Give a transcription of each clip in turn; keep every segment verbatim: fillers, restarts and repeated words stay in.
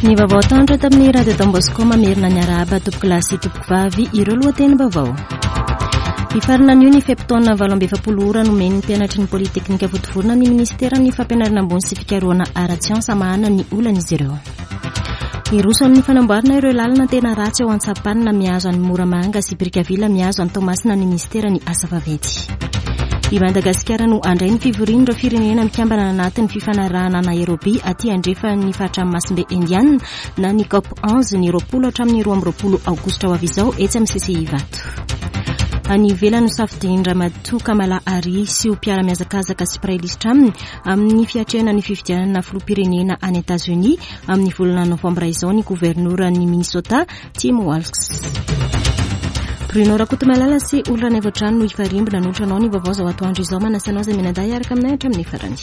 Ny vaovao atoandro tamin'ny Radio Don Bosco. Mamerina ny arahaba tompokolahy sy tompokovavy. Ireo lohatenim-baovao. Hifarana anio ny fe-potoana valo amby efapolo ora nomen'ny mpianatry ny Polyteknika Vontovorona ny ministeran'ny fampianarana ambony sy fikarohana ara-tsiansa hamahana ny olan'izy ireo. Hiroso amin'ny fanamboarana ireo lalana tena ratsy ao Antsapanina mihazo an'i Moramanga sy Brickaville mihazo an'i Toamasina ny ministeran'ny asa vaventy. I Madagasikara no handray ny fivorian'ireo firenena mikambana anatin'ny fifanarahana Nairobi aty andrefan'ny faritra Ranomasimbe Indiana na ny COP onze ny roapolo hatramin'ny roa amby roapolo aogositra ho avy izao etsy amin'ny C C I Ivato. Any ivelany, nosafidian-dRamatoa Kamala Harris sy ho mpiara-mihazakazaka sy mpiray lisitra aminy amin'ny fiatrehana ny fifidianana filoham-pirenena any Etazonia amin'ny volana novambra izao ny governoran'ny Minnesota Tim Walz. Bruno Rakotomalala sy Olona Naivoatrano no hifarimbo nanolotra anao ny vaovao izao atoandro izao. Manasa anao izay mianadahy hiaraka aminay hatramin'ny farany.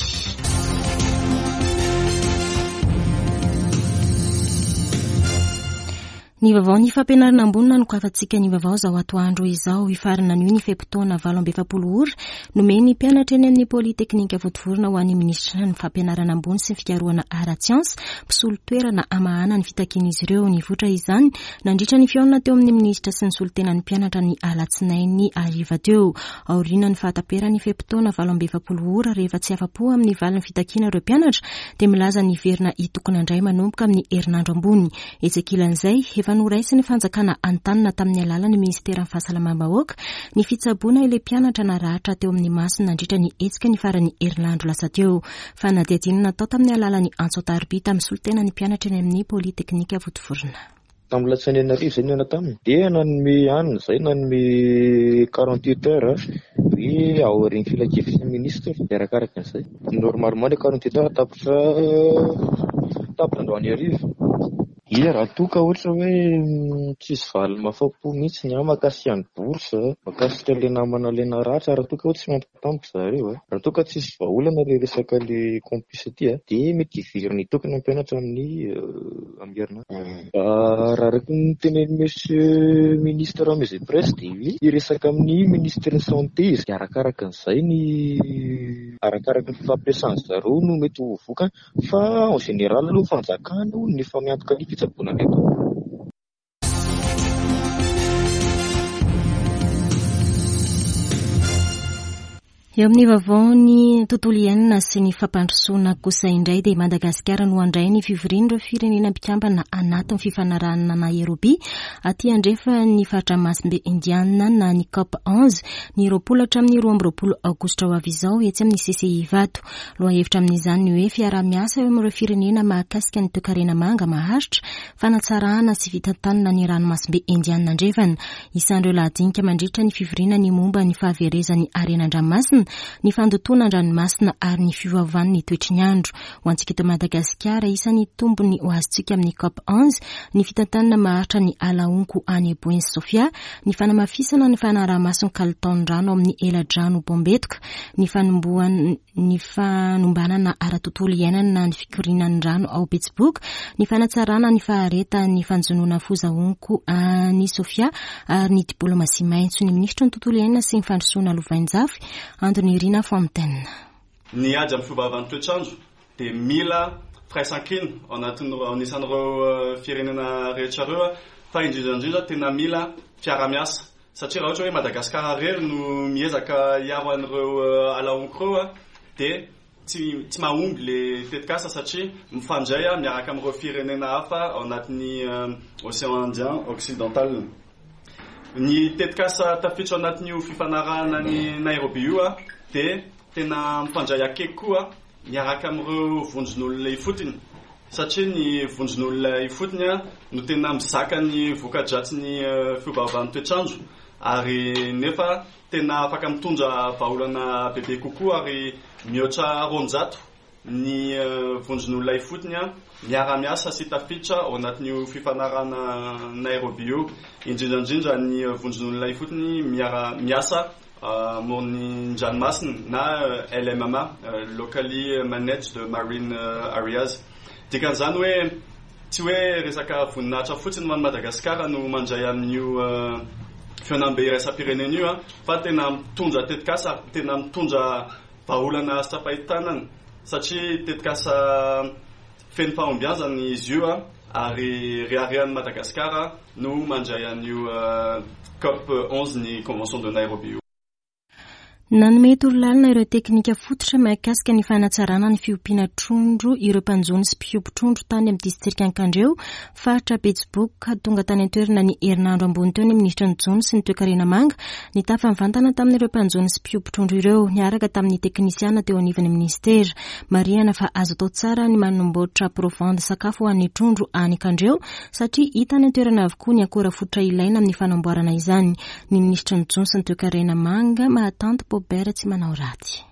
Ny vaovao ny fampianarana ambony nanokafantsika ny vaovao izao atoandro izao. Hifarana anio ny fe-potoana valo amby efapolo ora nomen'ny mpianatra eny amin'ny Polyteknika Vontovorona ho an'ny ministra ny fampianarana ambony sy ny fikarohana ara-tsiansa mpisolo toerana hamahana ny fitakian'izy ireo. Nivoitra izany nandritra ny fihaonana teo amin'ny ministra sy ny solontenan'ny mpianatra ny alatsinainy hariva teo. Aoriana ny fahataperan'ny fe-potoana valo amby efapolo ora, rehefa tsy afa-po amin'ny valin'ny fitakiana ireo mpianatra dia milaza ny hiverina hitokona indray manomboka amin'ny herinandro ambony. Etsy ankilan'izay, efa noraisin'ny fanjakana an-tanana tamin'ny alalan'ny ministeran'ny fahasalamam-bahoaka ny fitsaboana ilay mpianatra naratra teo amin'ny masony nandritra ny hetsika ny faran'ny herinandro lasa teo. Fanadihadiana natao tamin'ny alalan'ny antso an-tariby tamin'ny solontenan'ny mpianatra eny amin'ny Polyteknika Vontovorona. Tamin'ny latsinainy arivo izay nihaona taminy dia nanome hanina izay, nanome quarante huit heures hoe aorian'ny filankevitry ny ministre dia arakaraka an'izay. Normalement le quarante huit heures tapitra tapitra androany hariva. Ia, raha toa ka ohatra hoe tsisy valiny mahafa-po mihitsy ny ahy mahakasika ny bourse, mahakasika ilay namana ilay naratra, raha toa ka hoe tsy mampitampoko zareo, raha toa ka tsisy vahaolana ilay resaka ilay campus aty dia mety hiverina hitokona ny mpianatra amin'ny amin'ny herinandro. Raha araka ny tenenin'ny monsieur ministre Maison Presse dia hoe hiresaka amin'ny ministre ny santé izy dia arakaraka an'izay ny arakaraka ny fifampiresahan zareo no mety ho vokany, fa en général aloha fanjakana no efa miantoka ny fitsaboana reto. Eo amin'ny vaovao ny tontolo iainana sy ny fampandrosoana kosa indray dia Madagasikara no handray ny fivorian'ireo firenena mpikambana anatin'ny fifanarahana Nairobi aty andrefan'ny faritra Ranomasimbe Indiana na ny COP onze ny roapolo hatramin'ny roa amby roapolo aogositra ho avy izao etsy amin'ny C C I Ivato. Lohahevitra amin'izany ny hoe fiaraha-miasa eo amin'ireo firenena mahakasika ny toekarena manga maharitra, fanatsarana sy fitantanana ny ranomasimbe Indiana andrefana. Isan'ireo lahadinika mandritra ny fivoriana ny momba ny fahaverezan'ny harena an-dranomasina, ny fandotoana an-dranomasina ary ny fiovaovan'ny toetry ny andro. Ho antsika eto Madagasikara, isan'ny tombony ho azontsika amin'ny COP onze ny fitantanana maharitra ny ala honko any Boeny Sofia, ny fanamafisana ny fanaraha-maso ny kalitaon'ny rano amin'ny eladrano Bombetoka, ny fanombohan ny fanombanana ara-tontolo iainana ny fikorianan'ny rano ao Betsiboka, ny fanatsarana ny faharetan'ny fanjonoana foza honko any Sofia ary ny diplomasia maitso. Ny minisitry ny tontolo iainana sy ny fandrosoana lovainjafy, Andonirina Fontaine. Ny ady amin'ny fiovaovan'ny toetrandro dia mila firaisankina ao anatin'ny anisan'ireo firenena rehetra ireo, fa indrindra indrindra tena mila fiarahamiasa, satria raha ohatra hoe Madagasikara irery no miezaka hiaro an'ireo ala honko ireo dia tsy tsy mahomby le tetikasa, satria mifandray miaraka amin'ireo firenena hafa ao anatin'ny Océan Indien occidental. Ny tetikasa tafiditra ao anatin'io fifanarahana ny Nairobi io a dia tena mifandray akaiky koa miaraka amin'ireo vondron'olona ifotony, satria ny vondron'olona ifotony a no tena mizaka ny voka-dratsy ny fiovaovan'ny toetrandro ary nefa tena afaka mitondra vahaolana bebe kokoa, ary mihoatra roanjato ny vondron'olona ifotony a miara-miasa sy tafiditra ao anatin'io fifanarahana Nairobi io, indrindra indrindra ny vondron'olona ifotony miara miasa amoron'ny ranomasina na L M M A, Locally Managed Marine Areas. Dikan'izany hoe tsy hoe resaka voninahitra fotsiny ho an'i Madagasikara no mandray amin'io fihaonambe iraisam-pirenena io a fa tena mitondra tetikasa, tena mitondra vahaolana azo tsapain-tanana, satria tetikasa feno fahombiazana izy io a. ary reharehan'i Madagasikara no mandray an'io COP onze ny Convention de Nairobi io. Nanome torolalana ireo teknika fototra mahakasika ny fanatsarana ny fiompiana trondro ireo mpanjono sy mpiompy trondro tany amin'ny distrika Ankandreo, faritra Betsiboka. Tonga tany an-toerana ny herinandro ambony teo ny minisitra ny jono sy ny toekarena manga nitafa mivantana tamin'ireo mpanjono sy mpiompy trondro ireo niaraka tamin'ny teknisiana teo anivon'ny ministera. Marihana fa azo atao tsara ny manomboatra provende sakafo ho an'ny trondro any Ankandreo satria hita any an-toerana avokoa ny akora fototra ilaina amin'ny fanamboarana izany. Ny minisitra ny jono sy ny toekarena manga Mahatanty Paubert tsy manao ratsy.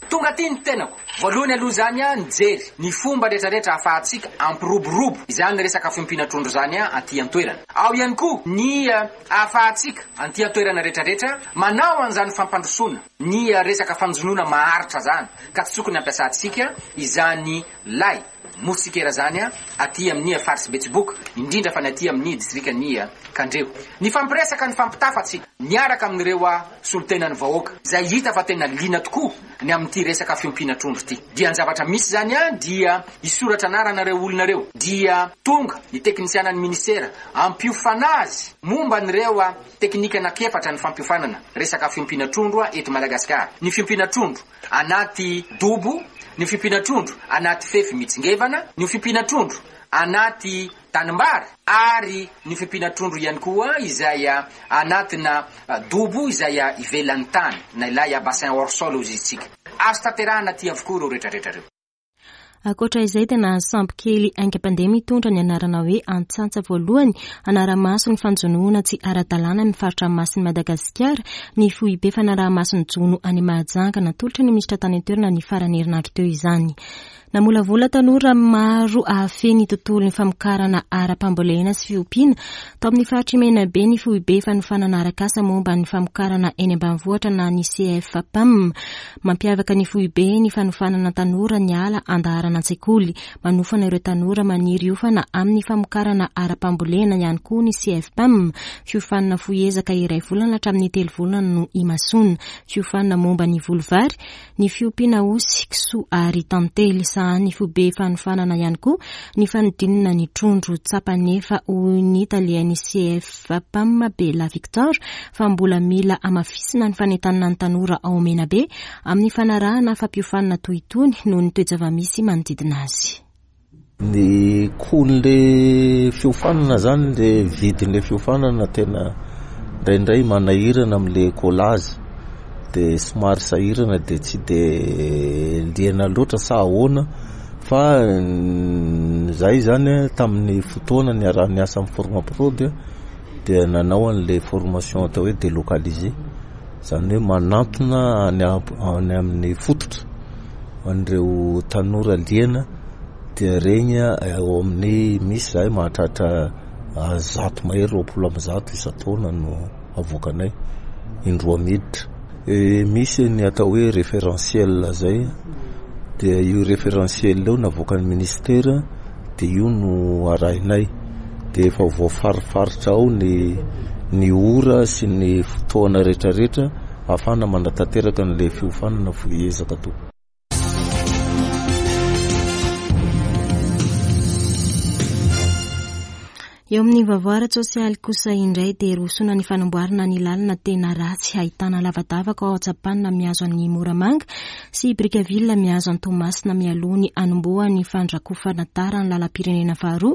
Tonga aty ny tenako. Voalohany aloha zany a nijery ny fomba rehetrarehetra ahafahantsika ampiroborobo izany resaka fiompiana trondro zany a aty an-toerana. Ao ihany koa ny ahafahantsika aty an-toerana rehetrarehetra manao an'izany fampandrosoana ny resaka fanjonoana maharitra zany ka tsy tokony ampiasantsika izany lay motsikera zany a aty amin'ny faritsy Betsiboka, indrindra fa ny aty amin'ny distrikan'ny Kandreo. Ny fampiresaka ny fampitafatsika miaraka amin'ireo solontenan'ny vahoaka izay hita fa tena liana tokoa ny amin'ity resaka fiompiana trondro ity. Dia ny zavatra misy zany a dia hisoratra anarana ireo olona ireo, dia tonga ny teknisianan'ny ministera ampiofana azy momba an'ireo teknika anankiefatra ny fampiofanana resaka fiompiana trondro eto Madagasikara. Ny fiompiana trondro anaty dobo, ny fiompiana trondro anaty fefy mitsingevana, ny fiompiana trondro anaty tanimbary ary ny fiompiana trondro ihany koa izay anatina dobo izay ivelan'ny tany na ilay bassin hors sol hoy isika. Azo tanterahana aty avokoa ireo rehetrarehetra ireo. Ankoatra izay dia nahazo sambo kely haingam-pandeha mitondra ny anarana hoe Antsantsa voalohany hanara-maso ny fanjonoana tsy ara-dalàna ny faritra masin'i Madagasikara ny foibe fanaraha-maso ny jono any Mahajanga. Natolotra ny minisitra tany an-toerana ny faran'ny herinandro teo izany. Namolavola tanora maro ahafehy ny tontolon'ny famokarana ara-pambolena sy fiompiana tao amin'ny faritry Menabe ny foibe fanofanana arak'asa momba ny famokarana eny ambanivohitra na ny C F P A M. Mampiavaka ny foibe ny fanofanana tanora ny ala andaharana an-tsekoly. Manofana ireo tanora maniry hiofana amin'ny famokarana ara-pambolena ihany koa ny C F P A M. Fiofanana fohy ezaka iray volana hatramin'ny telo volana no imasoana. Fiofanana momba ny voly vary, ny fiompiana osy, kisoa ary tantely. Ny foibe fanofanana ihany koa ny fanodinana ny trondro. Tsapa nefa hoy ny talehan'ny C F P A M Bela Victor fa mbola mila hamafisina ny fanentanana ny tanora ao Menabe amin'ny fanarahana fampiofanana toy itony noho ny toe-java-misy manodidina azy. Ny coût-n'le fiofanana zany, le vidin'le fiofanana tena indraindray manahirana amin'le collage, de somary sahirana de tsy de liana loatra sa ahoana, fa zay zany tamin'ny fotoana niaraha-niasa amin'ny Formaprod dia nanao an'le formation atao hoe délocalisé, zany hoe manantona any am-, any amin'ny fototra an'ireo tanora liana, dia regny eo amin'ny misy zahay mahatratra zato mahery roapolo amby zato isan-taona no avoakanay indroa miditra. E, misy ny atao hoe référentiel zay, dia io référentiel io navoakan'ny ministera, dia io no arahinay, dia efa voafarifaritra ao ny, ny ora sy ny fotoana rehetrarehetra ahafahana manatanteraka an'ilay fiofanana fohy ezaka atao. Eo amin'ny vaovao ara-tsosialy kosa indray dia rosoana ny fanamboarana ny lalana tena ratsy ahitana lavadavaka ao Antsapanina mihazo an'i Moramanga sy Brickaville mihazo an'i Toamasina mialoha ny hanombohan'ny fandrakofana tara ny lalam-pirenena faharoa,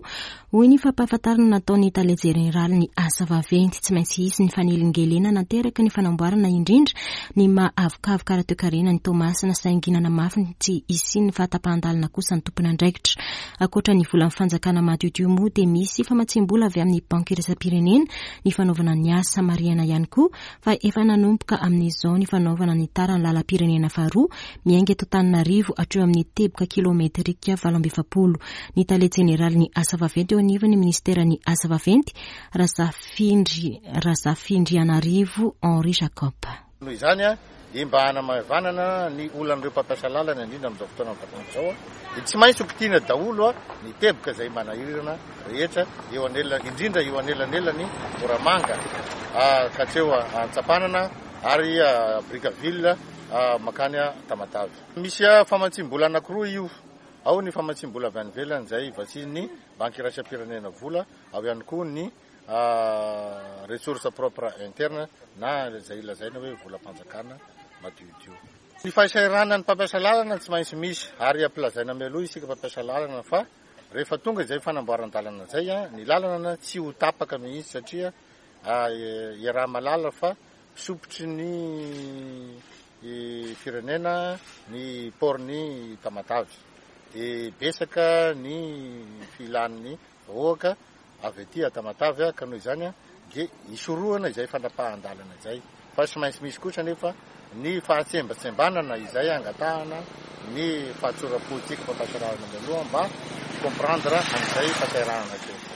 hoy ny fampahafantarana nataon'ny tale jeneraly ny asa vaventy. Tsy maintsy hisy ny fanelingelenana nateraky ny fanamboarana indrindra ny maha avokavoka ara-toekarena ny Toamasina, saingy nanamafy ny tsy hisian'ny fahatapahan-dalana kosa ny tompon'andraikitra. Ankoatra ny volan'ny fanjakana madiodio moa dia misy famatsiam-bola avy amin'ny banky iraisam-pirenena ny fanaovana ny asa. Marihana ihany koa fa efa nanomboka amin'izao ny fanaovana ny tara ny lalam-pirenena faharoa miainga eto Antananarivo hatreo amin'ny teboka kilometrika valo amby efapolo. Ny tale jeneraly ny asa vaventy eo anivon'ny ministeran'ny asa vaventy Razafindry, Razafindrianarivo Henri Jacob. Noho izany a, dia mba hanamaivanana ny olan'ireo mpampiasa lalana indrindra amin'izao fotoana mivatana izao a, dia tsy maintsy ho kitihina daholo a ny teboka izay manahirana rehetra eo anela, indrindra eo anelanelany Moramanga, a, ka hatreo Antsapanana ary, a, Brickaville, a, makany Tamatave. Misy, a, famatsiam-bola anankiroa io. Ao ny famatsiam-bola avy any ivelany izay vatsian'ny Banky Iraisam-pirenena vola, ao ihany koa ny ressources propres internes na izay lazaina hoe volam-panjakana madiodio. Ny fahasahiranan'ny mpampiasa lalana tsy maintsy misy, ary ampilazaina mialoha isika mpampiasa lalana fa rehefa tonga izay fanamboaran-dalana izay, ny lalana tsy ho tapaka mihitsy satria iaraha-mahalala fa sopotry ny firenena ny port-n'ny Tamatave. Dia betsaka ny filan'ny vahoaka avy aty Tamatave, ka noho izany dia isorohana izay fanapahan-dalana izay. Fa tsy maintsy misy kosa nefa ny fahatsembatsembanana izay angatahana ny fahatsoram-politika mpampiasa lalana mialoha mba comprendre an'izay fahasahiranana kely izay.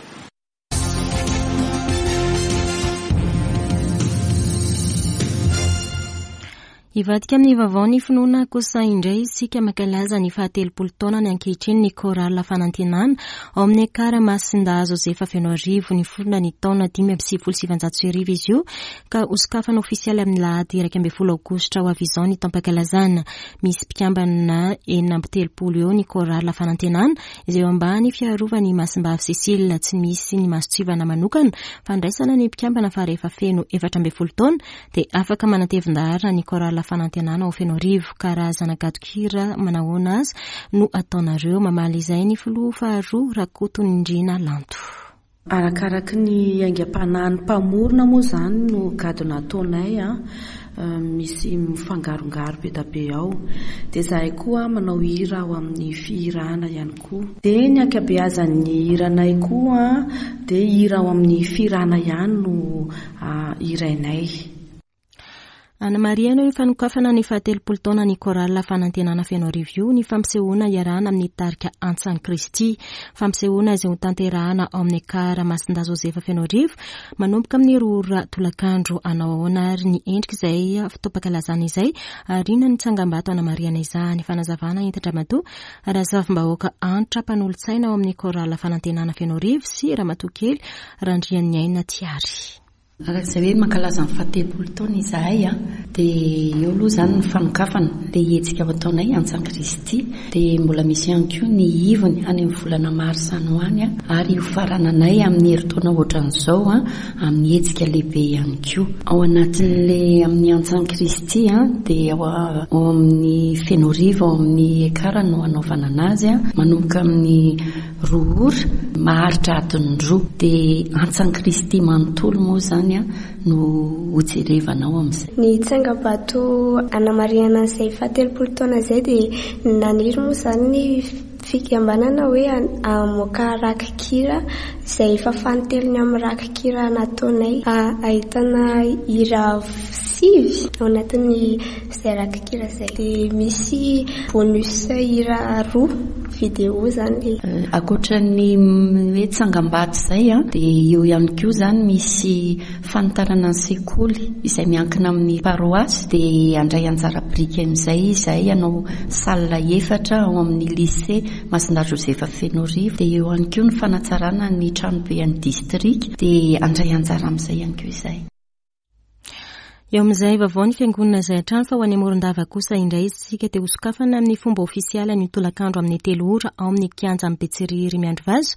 Hivadika amin'ny vaovao ny finoana kosa indray isika mankalaza ny fahatelopolo taona ny ankehitriny ny Chorale Fanantenana ao amin'ny Ekara Masindahy Josefa Fenoarivo. Niforona ny taona dimy amby sivifolo sy sivinjato sy arivo izy io ka hosokafana ofisialy amin'ny lahady iraika ambin'ny folo aogositra ho avy izao ny taom-pankalazana. Misy mpikambana enina amby telopolo eo ny Chorale Fanantenana izay eo ambany fiarovan'ny Masimbavy Cécile. Tsy misy ny mason-tsivana manokana fandraisana ny mpikambana fa rehefa feno efatra ambin'ny folo taona dia afaka manatevin-daharana ny Chorale Fanantenana ao Fenoarivo. Karazana gadon-kira manahoana azy no ataonareo? Mamaly izay ny filoha faharoa Rakotonindrina Lanto. Arakaraky ny aingam-panahin'ny mpamorona moa izany no gadona ataonay, misy mifangarongaro be dia be ao. Dia izahay koa manao hira ao amin'ny fihirana ihany koa. Dia ny ankabeazan'ny hiranay koa dia hira ao amin'ny fihirana ihany no hirainay. Anamarihana io fanokafana ny fahatelopolo taona ny Chorale Fanantenana Fenoarivo io ny fampisehoana iarahana amin'ny tarika Antsan'i Kristy. Fampisehoana izay hotanterahana ao amin'ny Ekara Masindahy Josefa Fenoarivo manomboka amin'ny roa ora tolakandro. Hanao ahoana ary ny endrika izay fotoam-pankalazana izay ary inona ny tsangambato anamarihana izany? Fanazavana entin-dRamatoa Razavimbahoaka Antra mpanolotsaina ao amin'ny Chorale Fanantenana Fenoarivo sy Ramatoa Kely Randrianiaina Tiary. Araka izay hoe mankalaza ny fahatelopolo taona izahay, dia eo aloha izany ny fanokafana ilay hetsika ho ataonay Antsan'i Kristy. Dia mbola misy ihany koa ny ivony any amin'ny volana marsa any ho any, ary ho farananay amin'ny herintaona ohatran'izao amin'ny hetsika lehibe ihany koa. Ao anatin'ilay amin'ny Antsan'i Kristy dia ao amin'ny Fenoarivo, ao amin'ny Ekara no hanaovana anazy, manomboka amin'ny roa ora maharitra adiny roa. Dia Antsan'i Kristy manontolo moa izany no hojerevana ao amin'izay. Ny tsangambato anamarihana an'izay fahatelopolo taona izay dia naniry moa izany ny fikambanana hoe hamoaka rakikira izay efa fanintelony amin'ny rakikira nataonay. Ahitana hira sivy ao anatin'ny izay rakikira izay. Dia misy bonus hira roa vidéo izany. Ankoatra ny hoe tsangambato izay, dia eo ihany koa izany misy fanitarana ny sekoly izay miankina amin'ny paroasy. Dia handray anjara biriky amin'izay izahay hanao salle efatra ao amin'ny lycée Masindahy Josefa Fenoarivo. Dia eo ihany koa ny fanatsarana ny tranobe an'ny distrika, dia handray anjara amin'izay ihany koa izahay. Eo amin'izay vaovao ny fiangonana izay hatrany fa ho any Morondava kosa indray isika dia hosokafana amin'ny fomba ofisialy ny tolakandro amin'ny telo ora ao amin'ny kianja Betsiriry Miandrivazo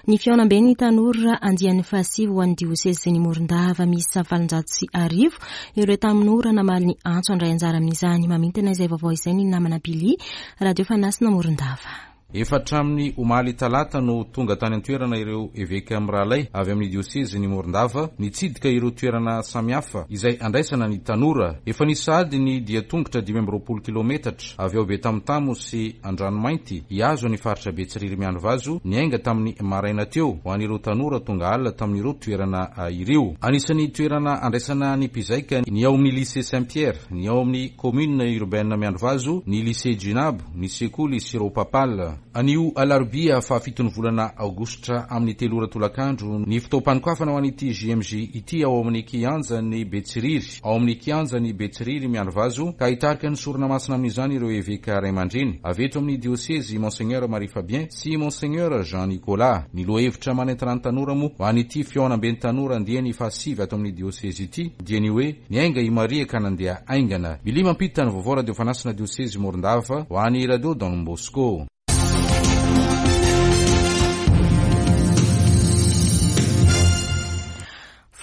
ny fihaonamben'ny tanora andian'ny fahasivy ho an'ny diosezin'ny Morondava. Misy valonjato sy arivo ireo tanora namaly ny antso handray anjara amin'izany. Mamintina izay vaovao izay ny namana Billy, Radio Fanasina Morondava. Efa hatramin'ny omaly talata no tonga tany an-toerana ireo eveka mirahalahy avy amin'ny diosezin'ny Morondava nitsidika ireo toerana samihafa izay andraisana ny tanora. Efa nisy sahady ny dia tongotra dimy amby roapolo kilometatra avy ao Betamotamo sy Andranomainty hihazo ny faritra Betsiriry Miandrivazo niainga tamin'ny maraina teo ho an'ireo tanora tonga alina tamin'ireo toerana ireo. Anisan'ny toerana andraisana ny mpizaika ny ao amin'ny lycée Saint-Pierre, ny ao amin'ny commune urbaine Miandrivazo, ny lycée Jinabo, ny sekoly Siro Papal. Anio alarobia fahafiton'ny volana aogositra amin'ny telo ora tolakandro ny fotoam-panokafana ho an'ity J M J ity ao amin'ny kianjan'ny Betsiriry, ao amin'ny kianjan'ny Betsiriry Miandrivazo, ka hitarika ny sorona masina amin'izany ireo eveka ray aman-dreny avy eto amin'ny diosezy Monseigneur Marie Fabien sy Monseigneur Jean Nicolas. Ny lohahevitra manentana ny tanora moa ho an'ity fihaonamben'ny tanora andiany fahasivy ato amin'ny diosezy ity dia ny hoe niainga i Maria ka nandeha haingana. Billy mampita ny vaovao Radio Fanasina diosezy Morondava ho an'ny Radio Don Bosco.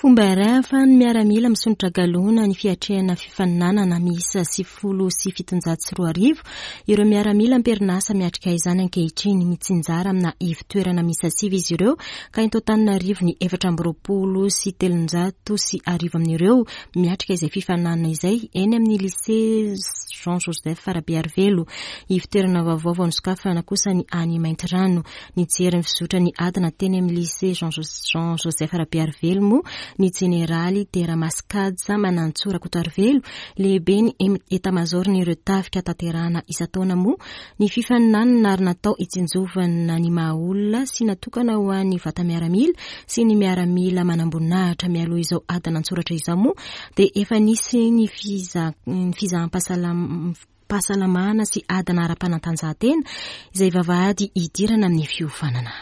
Fomba iray ahafahan'ny miaramila misondrotra galona ny fiatrehana fifaninanana miisa sivifolo sy fitonjato sy roa arivo ireo miaramila am-perinasa miatrika izany ankehitriny. Mitsinjara amina ivon-toerana miisa sivy izy ireo ka eto Antananarivo ny efatra amby roapolo sy telonjato sy arivo amin'ireo miatrika izay fifaninanana izay eny amin'ny lycée Jean Joseph Rabearivelo. Ivon-toerana vaovao vao nosokafana kosa ny any Maintirano. Nijery ny fizotra ny adina teny amin'ny lycée Jean Joseph Rabearivelo moa ny jeneraly Deramaskaja Manantsoa Rakotoarivelo, lehibe ny etamazoriny ireo tafika tanterahana isan-taona moa ny fifaninanana ary natao hitsinjovana ny maha olona sy natokana ho an'ny vata-miaramila sy ny miaramila manamboninahitra. Mialoha izao adina an-tsoratra izao moa dia efa nisy ny fizaham-pahasalamana sy adina ara-panatanjahantena izay vavahady hidirana amin'ny fiofanana.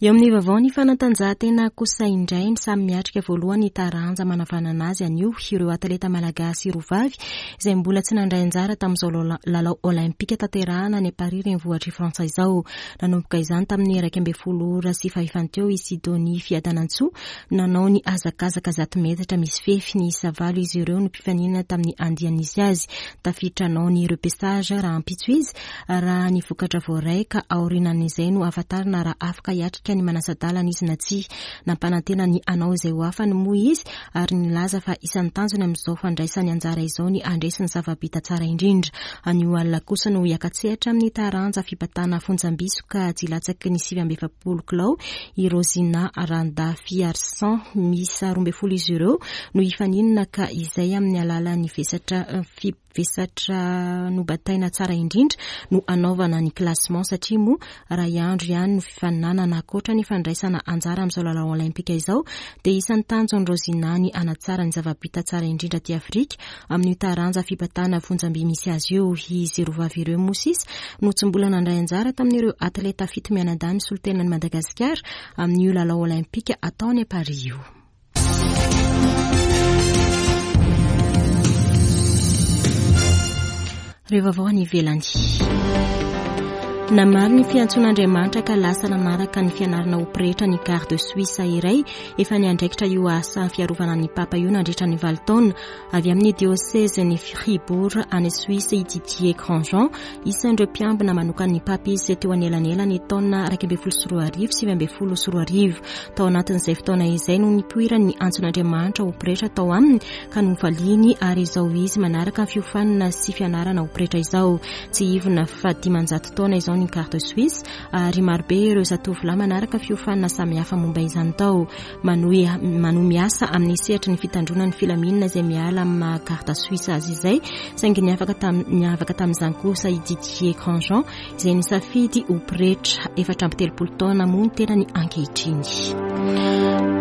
Eo amin'ny vaovao ny fanatanjahantena kosa indray, samy miatrika voalohany taranja manavanana azy anio ireo atleta malagasy roa vavy izay mbola tsy nandray anjara tamin'izao lalao olympika tanterahana any Paris renivohitr'i Frantsa izao. Nanomboka izany tamin'ny iraika ambin'ny folo ora sy fahefany teo i Sidonie Fiadanantsoa nanao ny hazakazaka zato metatra misy fefy. Niisa valo izy ireo no mpifaninana tamin'ny andiany nisy azy. Tafiditra hanao ny repêchage rahampitso izy raha ny vokatra voaray ka aorianan'izay no ahafantarana raha afaka hiatrika ny manasa-dalana izy na tsia. Nampanantena ny hanao izay ho afany moa izy ary nilaza fa isan'ny tanjony amin'izao fandraisany anjara izao ny handresy ny zava-bita tsara indrindra. Anio alina kosa no hiaka-tsehatra amin'ny taranja fibatana fonjamby sokajy latsaky ny sivy amby efapolo kilao i Rosina Randafiarison. Miisa roa ambin'ny folo izy ireo no hifaninana ka izay amin'ny alalan'ny vesatra vesatra nobataina tsara indrindra no anaovana ny classement satria moa raha andro ihany no fifaninanana. Ankoatra ny fandraisana anjara amin'izao lalao olympika izao dia isan'ny tanjon'i Rosina ny hanatsara ny zava-bita tsara indrindra aty Afrika amin'io taranja fibatana fonjamby misy azy io. Izy roa vavy ireo moa sisa no tsy mbola nandray anjara tamin'ireo atleta fito mianadahy misolo-tenan'i Madagasikara amin'io lalao olympika atao any Paris io. Ireo vaovao any ivelany. Namaly ny fiantsoan'Andriamanitra ka lasa nanaraka ny fianarana ho pretra ny garde suisse iray efa niandraikitra io asa fiarovana ny papa io nandritra ny valo taona. Avy amin'ny diocèse-n'i Fribourg any Suisse i Didier Grandjean, isan'ireo mpiambina manokan'ny papa izy teo anelanelany taona iraika ambin'ny folo sy roa arivo sivy ambin'ny folo sy roa arivo. Tao anatin'izay fotoana izay no nipoirany antson'Andriamanitra ho pretra tao aminy ka novaliany ary izao izy manaraka ny fiofanana sy fianarana ho pretra izao. Tsy ivona fa dimanjato taona izao ny garde suisse ary marobe ireo zatovolahy manaraka fiofanana samihafa momba izany tao. Manohy manohy miasa amin'ny sehatry ny fitandroana ny filaminana izay miala amin'ny garde suisse azy izay, saingy niavaka tam niavaka tamin'izany kosa i Didier Grandjean izay nisafidy ho pretra efatra amby telopolo taona moa ny tenany ankehitriny.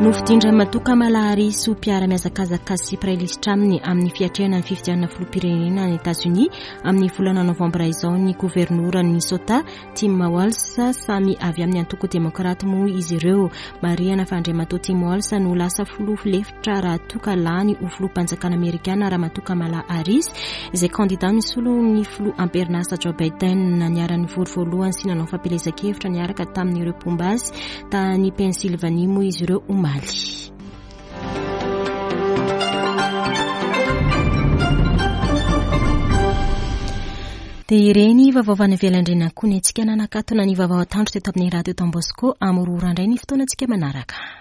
Nofidin-dRamatoa Kamala Harris ho mpiara-mihazakazaka sy mpiray lisitra aminy amin'ny fiatrehana ny fifidianana filoham-pirenena any Etazonia amin'ny volana novambra izao ny governoran'i Minnesota Tim Walz. Samy avy amin'ny antoko demokraty moa izy ireo. Marihana fa Andriamatoa Tim Walz no lasa filoha lefitra raha toa ka lany ho filoham-panjakana amerikana Ramatoa Kamala Harris izay kandida misolo ny filoha am-perinasa Joe Biden. Niara-nivory voalohany sy nanao fampielezan-kevitra niaraka tamin'ireo mpomba azy tany Pennsylvanie moa izy ireo omaly. Dia ireny vaovao avy any ivelany ireny koa ny antsika nanakatona ny vaovao atoandro teto amin'ny radio Don Bosco. Amin'ny roa ora indray ny fotoanantsika manaraka.